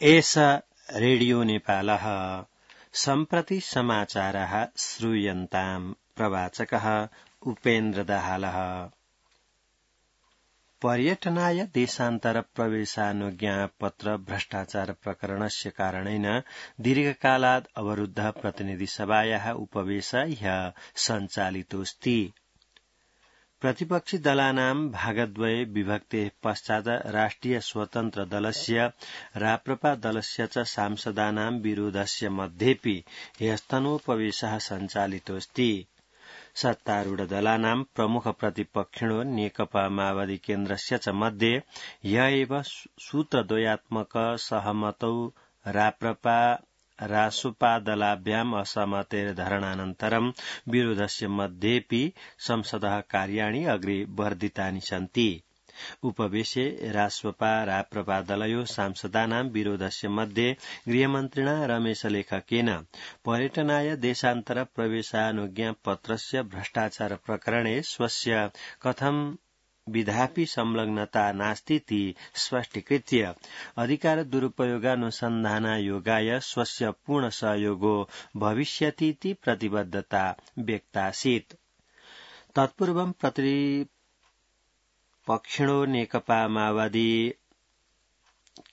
एष रेडियो नेपालः सम्प्रति समाचारः श्रूयन्ताम् प्रवाचकः उपेन्द्र दाहालः। पर्यटनाय देशान्तर प्रवेशानुज्ञापत्र भ्रष्टाचार प्रकरणस्य कारणेन दीर्घकालात् अवरुद्ध प्रतिनिधिसभायाः उपवेश ह्यः सञ्चालितोऽस्ति। प्रतिपक्षी दलानां भागद्वये विभक्तेः पश्चात् राष्ट्रिय स्वतन्त्र दलस्य राप्रपा दलस्य च सांसदानां विरोधस्य मध्येऽपि ह्यस्तनोपवेशः सञ्चालितोऽस्ति। सत्तारूढ दलानां प्रमुख प्रतिपक्षिणो नेकपा माओवादी केन्द्रस्य च मध्ये ह्य एव सूत्रद्वयात्मक सहमतौ राप्रपा रासुपादलाभ्याम् असहमतेर्धरणानन्तरं विरोधस्य मध्येऽपि संसदः कार्याणि अग्रे वर्धितानि सन्ति। उपवेशे रासुपा राप्रपा दलयोः सांसदानां विरोधस्य मध्ये गृहमन्त्रिणा रमेशलेखकेन पर्यटनाय देशान्तर प्रवेशानुज्ञापत्रस्य भ्रष्टाचार प्रकरणे स्वस्य कथं विधापि संलग्नता नास्तीति स्पष्टीकृत्य अधिकार दुरुपयोगानुसन्धानायोगाय स्वस्य पूर्ण सहयोगो भविष्यतीति प्रतिबद्धता व्यक्तासीत्। तत्पूर्वं प्रतिपक्षिणो नेकपा माओवादी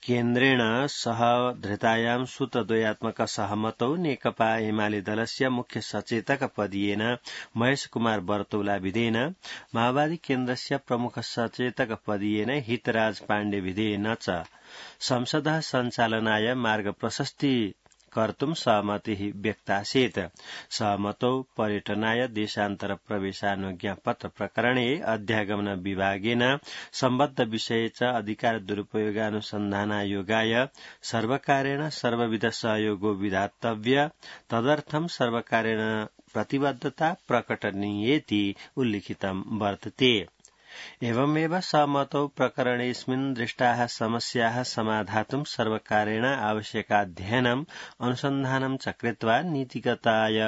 केन्द्रेण सह धृतायां सूत्रद्वयात्मक सहमतौ नेकपा एमाले दलस्य मुख्य सचेतक पदीयेन महेश कुमार बर्तौला विधेयन माओवादी केन्द्रस्य प्रमुख सचेतक पदीयेन हितराज पाण्डे विधेयन च संसदः सञ्चालनाय मार्ग प्रशस्ति कर्तुं सहमतिः व्यक्तासीत्। सहमतौ पर्यटनाय देशान्तर प्रवेशानुज्ञापत्र प्रकरणे अध्यागमन विभागेन सम्बद्ध विषये च अधिकार दुरुपयोगानुसन्धानायोगाय सर्वकारेण सर्वविध सहयोगो विधातव्य तदर्थं सर्वकारेण प्रतिबद्धता प्रकटनीयेति उल्लिखितं वर्तते। एवमेव सहमतौ प्रकरणेऽस्मिन् दृष्टाः समस्याः समाधातुं सर्वकारेण आवश्यकाध्ययनम् अनुसन्धानं च कृत्वा नीतिगताय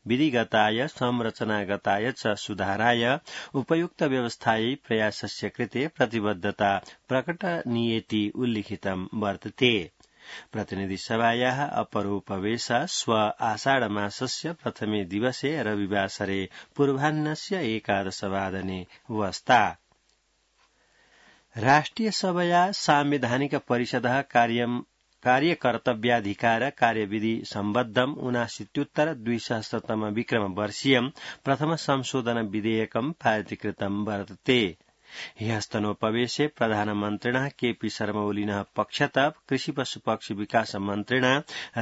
विधिगताय संरचनागताय च सुधाराय उपयुक्त व्यवस्थायै प्रयासस्य कृते प्रतिबद्धता प्रकटनीयेति उल्लिखितं वर्तते। प्रतिनिधिसभायाः अपरोपवेश श्व आषाढमासस्य प्रथमे दिवसे रविवासरे पूर्वाह्नस्य 11 वादने वस्ता। राष्ट्रियसभया सांविधानिक परिषदः कार्यकर्तव्याधिकार कार्यविधि सम्बद्धम् 79-2000 विक्रमवर्षीयम् प्रथम संशोधन विधेयकम् पारितीकृतं वर्तते। ह्यस्तनोपवेशे प्रधानमन्त्रिणः केपी शर्मा ओलिनः पक्षतः कृषि पशुपक्षी विकास मन्त्रिणा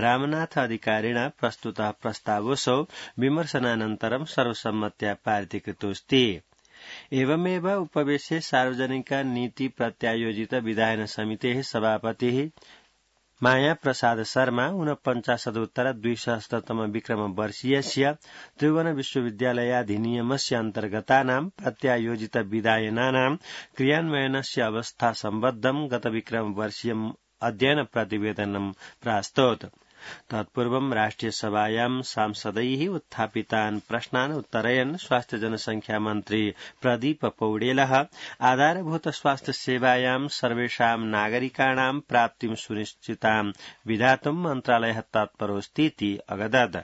रामनाथ अधिकारिणा प्रस्तुतः प्रस्तावोऽसौ विमर्शनानन्तरं सर्वसम्मत्या पारितीकृतोऽस्ति। एवमेव उपवेशे सार्वजनिक नीति प्रत्यायोजित विधायन समितेः सभापतिः माया प्रसाद शर्मा 49-2000 विक्रमवर्षीयस्य त्रिभुवन विश्वविद्यालयाधिनियमस्य अन्तर्गतानां प्रत्यायोजित विधायनानां क्रियान्वयनस्य अवस्था सम्बद्धं गत विक्रमवर्षीयम् अध्ययन प्रतिवेदनं प्रास्तौत्। तत्पूर्वं राष्ट्रियसभायां सांसदैः उत्थापितान् प्रश्नान् उत्तरयन् स्वास्थ्य जनसंख्या मन्त्री प्रदीप पौडेलः आधारभूत स्वास्थ्य सेवायां सर्वेषां नागरिकाणां प्राप्तिं सुनिश्चितां विधातुं मन्त्रालयः तत्परोऽस्तीति अगदत्।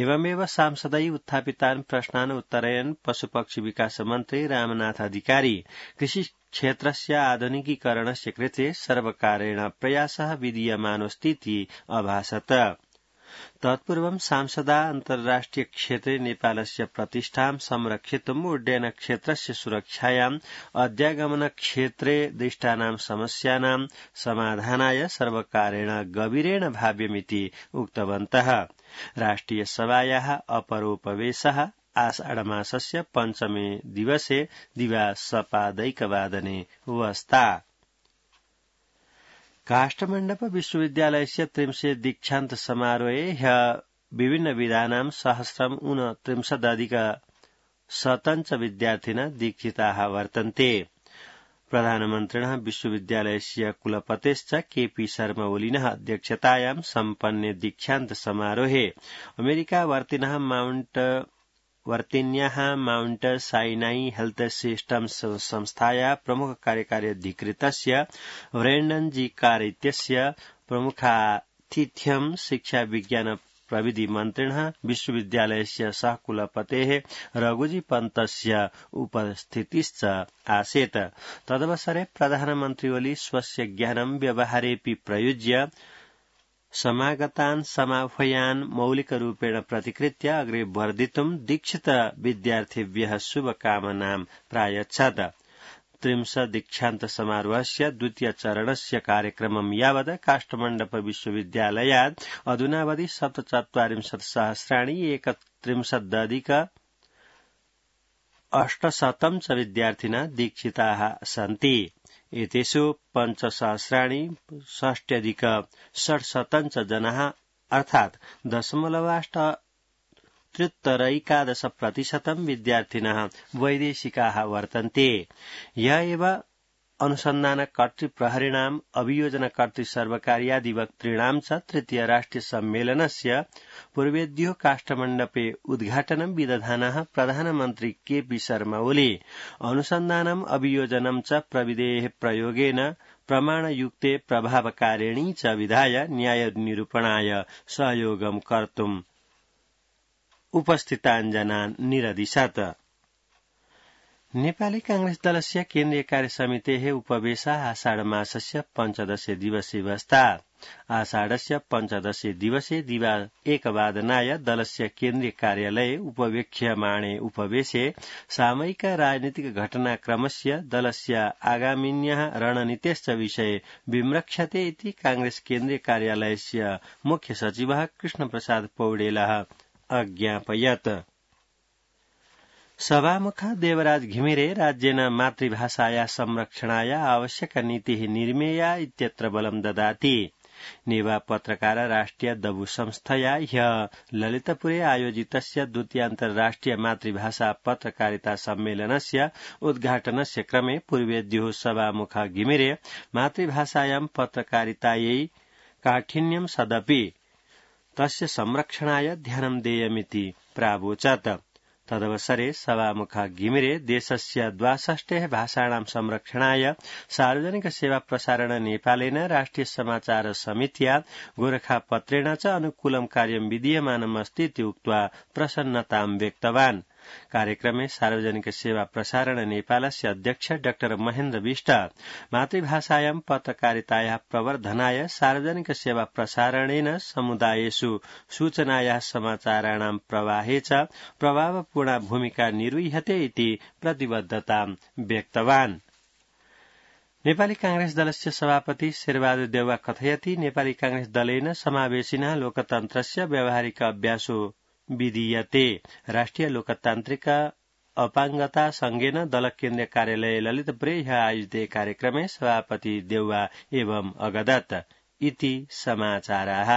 एवमेव सांसदैः उत्थापितान् प्रश्नान् उत्तरयन् पशुपक्षी विकास मन्त्री रामनाथ अधिकारी कृषि क्षेत्रस्य आधुनिकीकरणस्य कृते सर्वकारेण प्रयासः विधीयमानोऽस्तीति अभाषत। तत्पूर्वं सांसदा अन्ताराष्ट्रिय क्षेत्रे नेपालस्य प्रतिष्ठां संरक्षितुम् उड्डयन क्षेत्रस्य सुरक्षायाम् अध्यागमन क्षेत्रे दृष्टानां समस्यानां समाधानाय सर्वकारेण गभीरेण भाव्यमिति उक्तवन्तः। राष्ट्रियसभायाः अपरोपवेशः आषाढमासस्य पञ्चमे दिवसे दिवासपादैकवादने वस्ता। काष्ठमण्डप विश्वविद्यालयस्य 30 दीक्षान्त समारोहे ह्यः विभिन्नविधानां 139 विद्यार्थिनः दीक्षिताः वर्तन्ते। प्रधानमन्त्रिणः विश्वविद्यालयस्य कुलपतेश्च केपी शर्मा ओलिनः अध्यक्षतायां सम्पन्ने दीक्षान्त समारोहे अमेरिकावर्तिनः वर्तिन्याः माउण्ट साइनाई हेल्थ सिस्टम्स संस्थायाः प्रमुख कार्यकारी अधिकृतस्य ब्रेण्डन जी कार इत्यस्य प्रमुखातिथ्यं शिक्षा विज्ञान प्रविधि मन्त्रिणः विश्वविद्यालयस्य सहकुलपतेः रघुजी पन्तस्य उपस्थितिश्च आसीत्। तदवसरे प्रधानमन्त्री ओली स्वस्य ज्ञानं व्यवहारेऽपि प्रयुज्य समागतान् समाह्वयान् मौलिकरूपेण प्रतिकृत्य अग्रे वर्धितुं दीक्षित विद्यार्थिभ्यः शुभकामनां प्रायच्छत्। 30 दीक्षान्त समारोहस्य द्वितीय चरणस्य कार्यक्रमं यावत् काष्ठमण्डप विश्वविद्यालयात् अधुनावधि 47,000 31,800 च विद्यार्थिनः दीक्षिताः सन्ति। एतेषु 5,60,600 च जनाः अर्थात् 0.8% विद्यार्थिनः वैदेशिकाः वर्तन्ते। य एव अनुसन्धानकर्तृप्रहरीणाम् अभियोजनकर्तृसर्वकार्याधिवक्तॄणां च तृतीय राष्ट्रिय सम्मेलनस्य पूर्वेद्यो काष्ठमण्डपे उद्घाटनं विदधानः प्रधानमन्त्री केपी शर्मा ओली अनुसन्धानम् अभियोजनं च प्रविधेः प्रयोगेन प्रमाणयुक्ते प्रभावकारिणी च विधाय न्यायनिरूपणाय सहयोगं कर्तुम् उपस्थितान् जनान् निरदिशत्। नेपाली कांग्रेस दलस्य केन्द्रीय कार्यसमितेः उपवेशः आषाढमासस्य 15 दिवसे बस्ता। आषाढस्य 15 दिवसे दिवा 1:00 दलस्य केन्द्रीय कार्यालये उपवेक्ष्यमाणे उपवेशे सामयिक राजनीतिक घटनाक्रमस्य दलस्य आगामिन्यः रणनीतेश्च विषये विमृक्षते इति कांग्रेस केन्द्रीय कार्यालयस्य मुख्य सचिवः कृष्णप्रसाद पौडेलः अज्ञापयत्। सभामुख देवराज घिमिरे राज्येन मातृभाषाया संरक्षणाय आवश्यक नीतिः निर्मेया इत्यत्र बलं ददाति। नेवा पत्रकार राष्ट्रिय दबु संस्थया ह्यः ललितपुरे आयोजितस्य द्वितीयान्तर्राष्ट्रिय मातृभाषा पत्रकारिता सम्मेलनस्य उद्घाटनस्य क्रमे पूर्वेद्युः सभामुख घिमिरे मातृभाषायां पत्रकारितायै काठिन्यं सदपि तस्य संरक्षणाय ध्यानं देयमिति प्रावोचत्। तदवसरे सभामुख घिमिरे देशस्य 62 भाषाणां संरक्षणाय सार्वजनिक सेवा प्रसारण नेपालेन राष्ट्रिय समाचार समित्या गोरखापत्रेण च अनुकूलं कार्यं विधीयमानमस्ति इति उक्त्वा प्रसन्नतां व्यक्तवान्। कार्यक्रमे सार्वजनिक सेवा प्रसारण नेपालस्य अध्यक्ष डाक्टर महेन्द्र विष्ट मातृभाषायां पत्रकारितायाः प्रवर्धनाय सार्वजनिक सेवा प्रसारणेन समुदायेषु सूचनायाः समाचाराणां प्रवाहे च प्रभावपूर्णा भूमिका निर्वह्यते इति प्रतिबद्धतां व्यक्तवान्। नेपाली कांग्रेस दलस्य सभापति शेरबहादुर देउवा कथयति नेपाली कांग्रेस दलेन समावेशिनः लोकतन्त्रस्य व्यावहारिक अभ्यासो विधीयते। राष्ट्रिय लोकतान्त्रिक अपाङ्गता संघेन दल केन्द्रीय कार्यालय ललितपुरे ह्यः आयोजिते कार्यक्रमे सभापति देउवा एवं अगदत् इति समाचाराः।